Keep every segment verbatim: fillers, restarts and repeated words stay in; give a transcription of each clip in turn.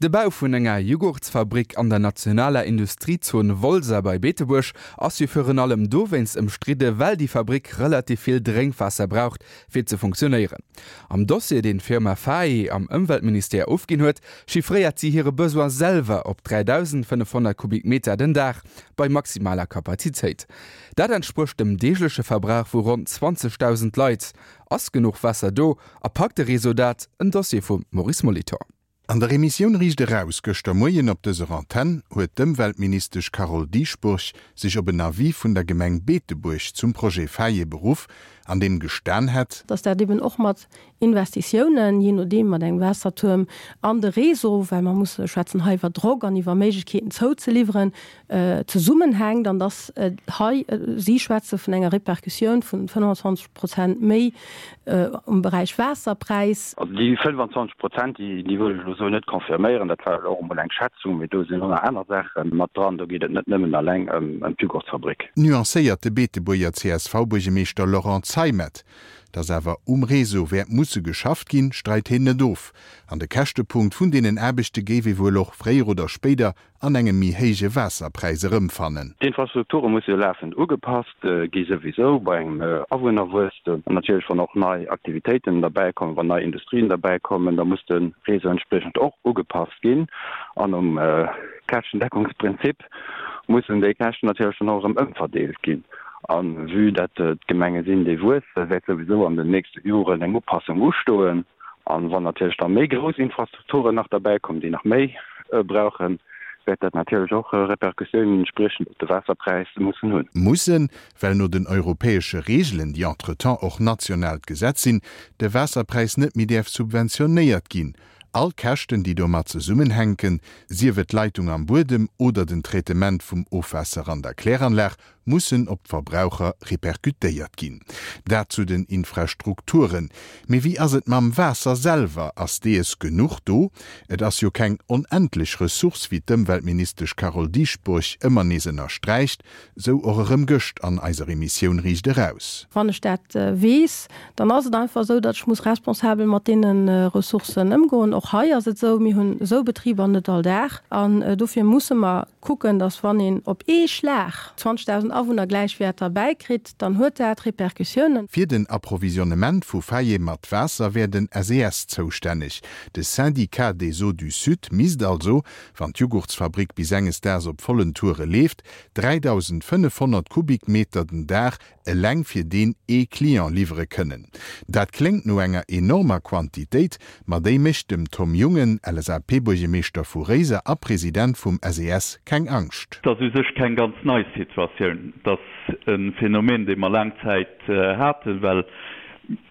De Bau vun enger Jughurtsfabrik an der nationaler Industriezon Wolser bei Beetebuerg ass jo virun allem dowéinst ëmstridde well déi Fabrik relativ vill Drénkwaasser braucht fir ze funktionéieren. Am Dossier deen d'Firma Faye am Ëmweltministère ofginn huet, chiffréiert si hire Besoin selwer op dräidausendfënnefhonnert Kubikmeter den Dag bei maximaler Kapazitéit. Dat entsprécht dem deegleche Verbrauch vu ronn zwanzegdausend Leit. Ass genuch Waasser do a packt de Réseau dat? En Dossier vum Maurice Molitor. An der Emissioun Riicht Eraus gëschter Moien op dëser Antenn huet d'Ëmweltministesch Carole Dieschbourg sech op en Avis vun der Gemeng Beetebuerg zum Projet Faye beruff, an deem gestan hätt, dass dat eben och mat Investitiounen, jee nodeem mat engem Waassertuerm an de Réseau, well mer musse schwätzen hei iwwer Drock an iwwer Méiglechkeeten zouzeliwweren, zesummenhänkt an dass hei, si schwätze vun enger Répercussioun vun fënnfanzwanzeg Prozent méi um Beräich Waasserpräis. Also déi fënnfanzwanzeg Prozent, déi wëll ech elo esou net confirméieren. Dat war elo och emol eng Schätzung, mee do sinn och nach aner Saache mat dran. Do geet et net nëmmen eleng ëm d'Jugurtsfabrik. Nuancéiert de Beetebuerger C S V-Buergermeeschter Laurent Zeimet. Datt awer um Réseau wäert musse geschafft ginn, streit hien net of. An de Käschtepunkt vun deenen Aarbechte géif ee wuel och fréier oder spéider an engem méi héije Waasserpräis erëmfannen. D'Infrastrukture musse jo lafend ugepasst gi souwisou bei engem Awunnerwuesstem. An natierlech wann och nei Aktivitéiten derbäikommen, wann nei Industrien derbäikommen, da muss de Réseau entspriechend och ugepasst ginn. An um Käschtendeckungsprinzip mussen déi Käschten natierlech dann och erëm ëmverdeelt ginn. A vue dat et Gemenge sinn, déi wuessen, wäert souwisou an den nächste Joren eng Upassung ustoen. A wann natierlech da méi grouss Infrastrukturen nach derbäikommen, déi nach méi brauchen, wäert dat natierlech och Repercussiounen entspriechend op de Waasserpräis mussen hunn. Mussen, well no den europäesche Reegelen, déi entretemps och nationaalt Gesetz sinn, de Waasserpräis net méi däerf subventionéiert ginn. All Käschten, déi domat zesummenhänken, sief et d'Leitung am Buedem oder den Traitement vum Ofwaasser an der Kläranlag, mussen op d'Verbraucher repercutéiert ginn. Dat zu den Infrastrukturen. Mee wéi ass et mam Waasser selwer? Ass dees genuch do? Et ass jo keng onendlech Ressource, wéi d'Ëmweltministesch Carole Dieschbourg ëmmer nees ënnersträicht, sou och erëm gëscht an eiser Emissioun Riicht Eraus. Wann ech dat weess, dann ass et einfach esou, datt ech muss responsabel mat deene Ressourcen ëmgoen. Och hei ass et esou, mir hunn esou Betriber net all Dag an dofir musse mer kucken, datt wann een op ee Schlag zwanzegdausend Awunner Gläichwäerter bäikritt, dann huet dat Repercussiounen. Fir den Approvisionnement vu Faye mat Waasser wär den S E S zoustänneg. De Syndicat des Eaux du Sud misst also, wann d'Jugurtsfabrik bis enges Daags op vollen Toure leeft, dräidausendfënnefhonnert Kubikmeter den Dag eleng fir deen ee Client liwwere kënnen. Dat kléngt no enger enormer Quantitéit, ma déi mécht dem Tom Jungen, L S A P-Buergermeeschter vu Réiser a President vum S E S, keng Angscht. Et ass u sech keng ganz nei Situatioun. Et ass e Phänomen, dee mer laang Zäit haten, well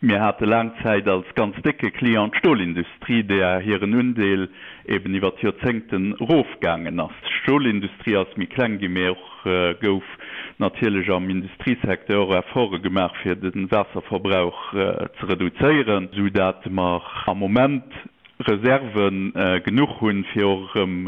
mir hate laang Zäit als ganz décke Client d'Stolindustrie, deeër hiren Undeel eben iwwer d'Joerzéngten erofgaangen ass. D'Stolindustrie ass méi kleng ginn, mee och gouf natierlech am Industriesecteur och Efforte gemaach, fir de Waasserverbrauch ze reduzéieren, esou dat mer am Moment Reserve genuch hunn, fir och erëm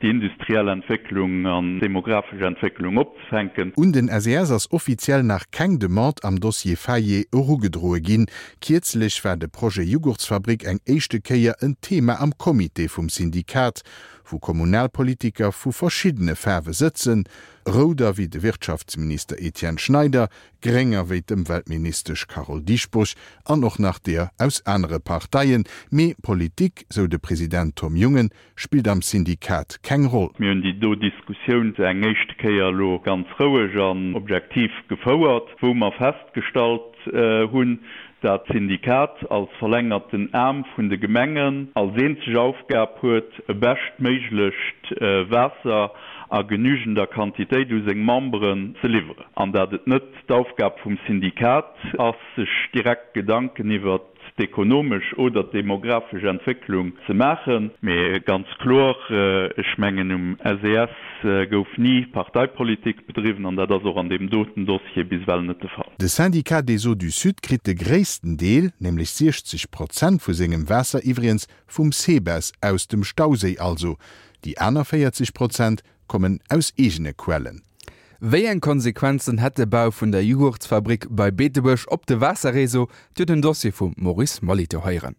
déi industriell Entwécklung an d'demografesch Entwécklung opzefänken. Un den S E S ass offiziell nach keng Demande am Dossier Faye erugedroe ginn. Kierzlech war de Projet Jughurtsfabrik eng éischte Kéier en Thema am Comité vum Syndikat, wou Kommunalpolitiker vu verschiddene Faarwe sëtzen, Rouder wéi de Wirtschaftsminister Etienne Schneider, Grénger wéi d'Ëmweltministesch Carole Dieschbourg an och nach deeër aus anere Parteien. Mee Politik, sou de President Tom Jungen, spillt am Syndikat keng Roll. Mir hunn déi do Diskussioun eng éischte Kéier elo ganz roueg an objektiv gefouert, wou mer festgestallt hunn, dat d'Syndikat als verlängerten Aarm vun de Gemengen als eenzeg Aufgab huet, e beschtméiglecht Waasser a genügender Quantitéit u seng Memberen ze liwweren, an dat et net d'Aufgab vum Syndikat ass, sech direkt Gedanken iwwert d'ekonomesch oder d'demografesch Entwécklung ze maachen. Mee ganz kloer, ech mengen um S E S gouf ni Parteipolitik bedriwwen an dat ass och an deem doten Dossier bis ewell net de Fall. De Syndicat des Eaux du Sud kritt de gréissten Deel, nämlech siechzeg Prozent vu sengem Waasser iwwregens vum SEBES, aus dem Stauséi also. Déi aner véierzeg Prozent kommen aus eegene Quellen. Wéi eng Konsequenzen hätt de Bau vun der Jughurtsfabrik bei Beetebuerg op de Waasserréseau? Dir hutt den Dossier vum Maurice Molitor héieren.